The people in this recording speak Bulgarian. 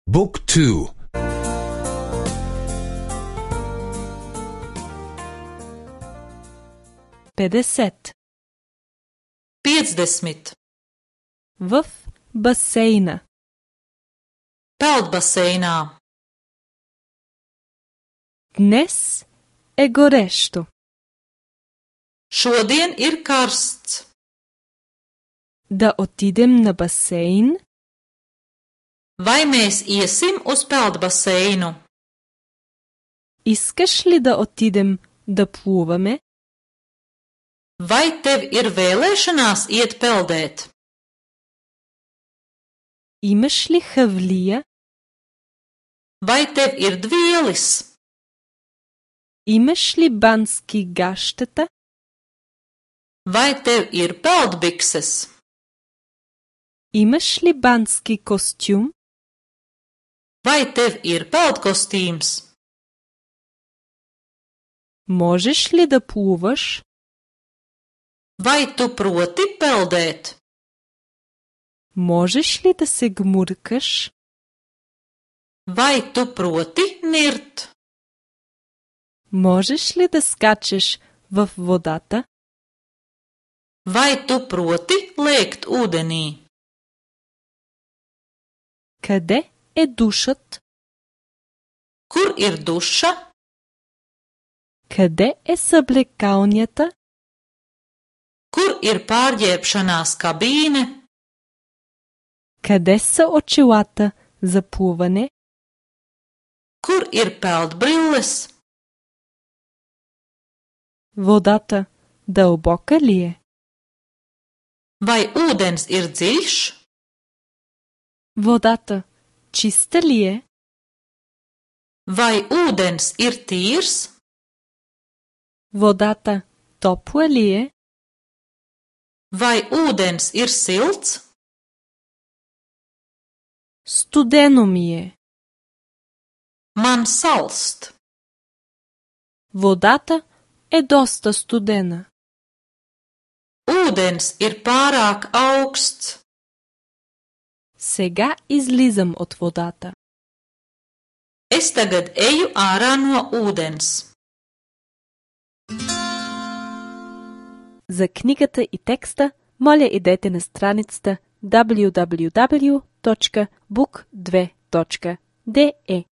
Book 2. 50. 50. В басейна. Peldbaseinā. Днес е горещо. Šodien ir karsts. Да отидем на басейн? Vai mēs iesim uz peldbaseinu? Искаш ли да отидем да плуваме? Vai tev ir vēlēšanās iet peldēt? Имаш ли хавлия? Vai tev ir dvielis? Имаш ли бански гащета? Vai tev ir peldbikses? Имаш ли бански костюм? Vai tev ir peldkostīms? Можеш ли да плуваш? Vai tu proti peldēt? Можеш ли да се гмуркаш? Vai tu proti nirt? Можеш ли да скачеш в водата? Vai tu proti lēkt ūdenī? Къде е душът? Kur ir duša? Къде е съблекалнята? Kur ir pārģērbšanās kabīne? Къде са очилата за плуване? Kur ir peldbrilles? Водата дълбока ли е? Vai ūdens ir dziļš? Водата чиста ли е? Vai ūdens ir tīrs? Водата топла ли е? Vai ūdens ir silts? Студено ми е. Man salst. Водата е доста студена. Ūdens ir pārāk augsts. Сега излизам от водата. Es tagad eju ārā no ūdens. За книгата и текста, моля идете на страницата www.book2.de